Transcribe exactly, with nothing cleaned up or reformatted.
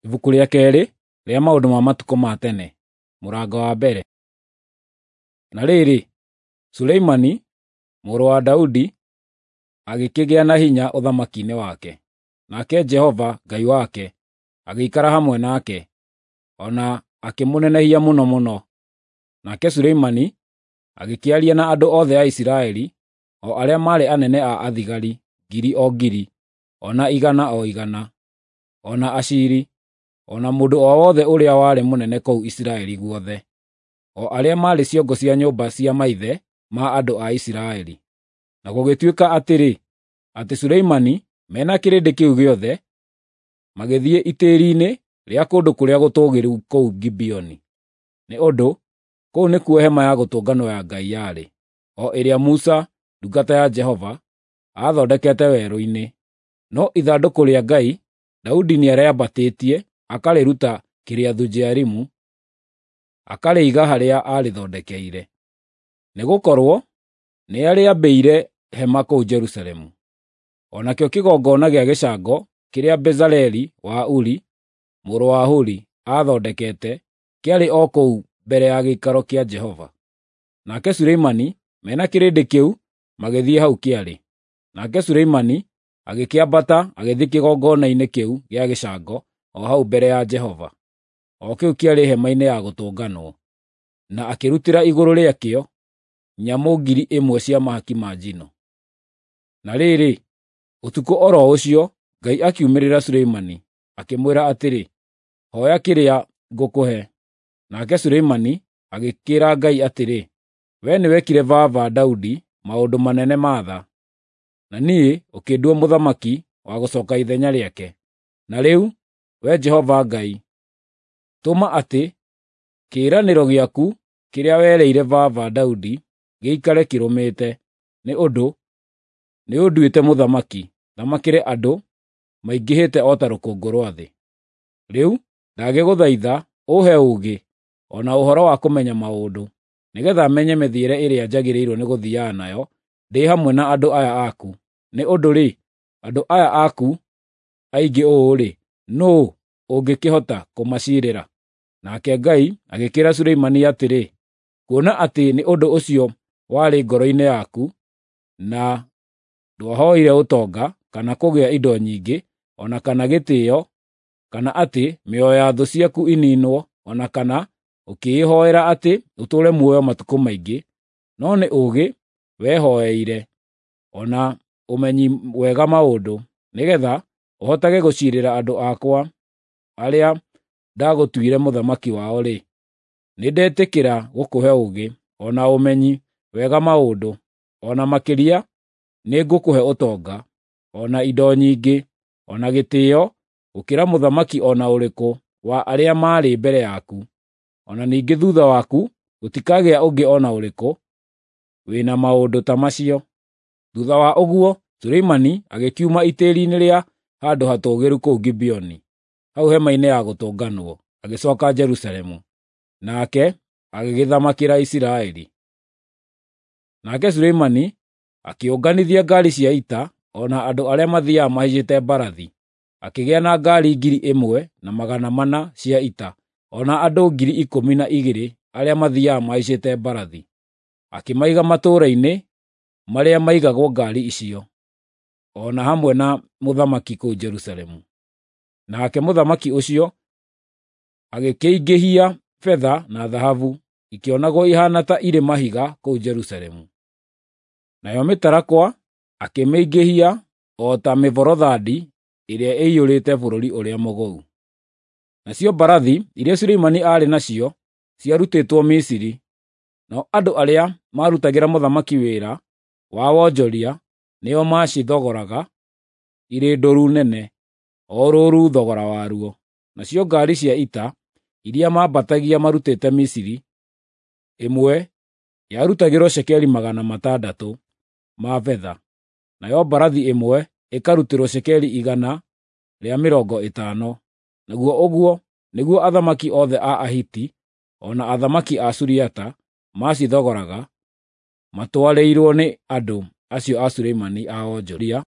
Ibuku rĩa keerĩ rĩa maũndũ ma matukũ ma tene, mũrango wa mbere. Na rĩrĩ, Suleimani mũrũ wa Daudi agĩkĩgĩa na hinya ũthamaki-inĩ wake, nake Jehova Ngai wake agĩikara hamwe nake, o na akĩmũnenehia mũno mũno. Nake Suleimani agĩkĩaria na andũ othe a Isiraeli, o arĩa maarĩ anene a athigari ngiri o ngiri, o na igana o igana, o na aciiri, o na mũndũ o wothe ũrĩa warĩ mũnene kũu Isiraeli guothe, o arĩa maarĩ ciongo cia nyũmba cia maithe ma andũ a Isiraeli. Na gũgĩtuĩka atĩrĩ, atĩ Suleimani me na kĩrĩndĩ kĩu gĩothe magĩthiĩ itĩĩri-inĩ rĩa kũndũ kũrĩa gũtũũgĩru kũu Gibeoni, nĩ ũndũ kũu nĩkuo hema ya gũtũnganwo ya Ngai yarĩ, o ĩrĩa Musa ndungata ya Jehova aathondekete werũ-inĩ. No ithandũkũ rĩa Ngai Daudi nĩarĩambatĩtie akarĩruta Kiriathu-Jearimu, akarĩiga harĩa aarĩthondekeire, nĩgũkorwo nĩarĩambĩire hema kũu Jerusalemu. O nakĩo kĩgongona gĩa gĩcango kĩrĩa Bezaleli wa Uri, mũrũ wa Huri, aathondekete kĩarĩ o kũu mbere ya gĩikaro kĩa Jehova. Nake Suleimani me na kĩrĩndĩ kĩu magĩthiĩ hau kĩarĩ. Nake Suleimani agĩkĩambata agĩthiĩ kĩgongona-inĩ kĩu gĩa gĩcango o hau mbere ya Jehova, o kĩu kĩarĩ hema-inĩ ya gũtũnganwo, na akĩrutĩra igũrũ rĩakĩo nyamũ ngiri ĩmwe cia mahaki ma njino. Na rĩrĩ, ũtukũ o ro ũcio Ngai akiumĩrĩra Suleimani, akĩmwĩra atĩrĩ, “Hooya kĩrĩa ngũkũhe.” Nake Suleimani agĩkĩĩra Ngai atĩrĩ, “Wee nĩwekire baba Daudi maũndũ manene ma tha, na niĩ ũkĩndua mũthamaki wa gũcooka ithenya rĩake. Na rĩu, Wee Jehova Ngai, tũma atĩ kĩĩranĩro gĩaku kĩrĩa werĩire baba Daudi gĩikare kĩrũmĩte, nĩ ũndũ nĩũnduĩte mũthamaki, thamakĩre andũ maingĩhĩte o ta rũkũngũ rwa thĩ. Rĩu ndagĩgũthaitha ũũhe ũũgĩ o na ũhoro wa kũmenya maũndũ, nĩgeetha menye mĩthiĩre ĩrĩa njagĩrĩirwo nĩgũthiiaga nayo ndĩ hamwe na andũ aya aku. Nĩ ũndũ-rĩ, andũ aya aku aingĩ ũũ-rĩ, nũũ ũngĩkĩhota kũmaciirĩra?” Nake Ngai agĩkĩĩra Suleimani atĩrĩ, “Kuona atĩ nĩ ũndũ ũcio warĩ ngoro-inĩ yaku, na ndwahooire ũtonga, kana kũgĩa indo nyingĩ, o na kana gĩtĩĩo, kana atĩ mĩoyo ya thũ ciaku ĩniinwo, o na kana ũkĩĩhoera atĩ ũtũũre muoyo matukũ maingĩ, no nĩ ũũgĩ wehooeire, o na ũmenyi wega maũndũ, nĩgeetha ũhotage gũciirĩra andũ akwa arĩa ndagũtuire mũthamaki wao-rĩ, nĩndetĩkĩra gũkũhe ũũgĩ, o na ũmenyi wega maũndũ, o na makĩria nĩngũkũhe ũtonga, o na indo nyingĩ, o na gĩtĩĩo gũkĩra mũthamaki o na ũrĩkũ wa arĩa maarĩ mbere yaku. O na ningĩ thuutha waku gũtikagĩa ũngĩ o na ũrĩkũ wĩ na maũndũ ta macio.” Thuutha wa ũguo Suleimani agĩkiuma itĩĩri-inĩ rĩa handũ hatũũgĩru kũu Gibeoni, hau hema-inĩ ya gũtũnganwo, agĩcooka Jerusalemu. Nake agĩgĩthamakĩra Isiraeli. Nake Suleimani akĩũnganithia ngaari cia ita o na andũ arĩa mathiiaga mahaicĩte mbarathi, akĩgĩa na ngaari ngiri ĩmwe na magana mana cia ita, o na andũ ngiri ikũmi na igĩrĩ arĩa mathiiaga mahaicĩte mbarathi. Akĩmaiga matũũra-inĩ marĩa maigagwo ngaari icio, o na hamwe na mũthamaki kũu Jerusalemu. Nake mũthamaki ũcio agĩkĩingĩhia betha na thahabu, ikĩonagwo ihaana ta irĩ mahiga kũu Jerusalemu. Nayo mĩtarakwa akĩmĩingĩhia o ta mĩborothandi ĩrĩa ĩiyũrĩte bũrũri ũrĩa mũgũu. Nacio mbarathi iria Suleimani aarĩ nacio ciarutĩtwo Misiri, nao andũ arĩa maarutagĩra mũthamaki wĩra wa wonjoria nĩo maacithogoraga irĩ ndũru nene, o rũũru thogora waruo. Nacio ngaari cia ita iria maambatagia marutĩte Misiri, ĩmwe yarutagĩrwo cekeri magana matandatũ ma betha, nayo mbarathi ĩmwe ĩkarutĩrwo cekeri igana rĩa mĩrongo ĩtano. Naguo ũguo nĩguo athamaki othe a Ahiti o na athamaki a Suriata maacithogoraga matwarĩirwo nĩ andũ acio a Suleimani a wonjoria.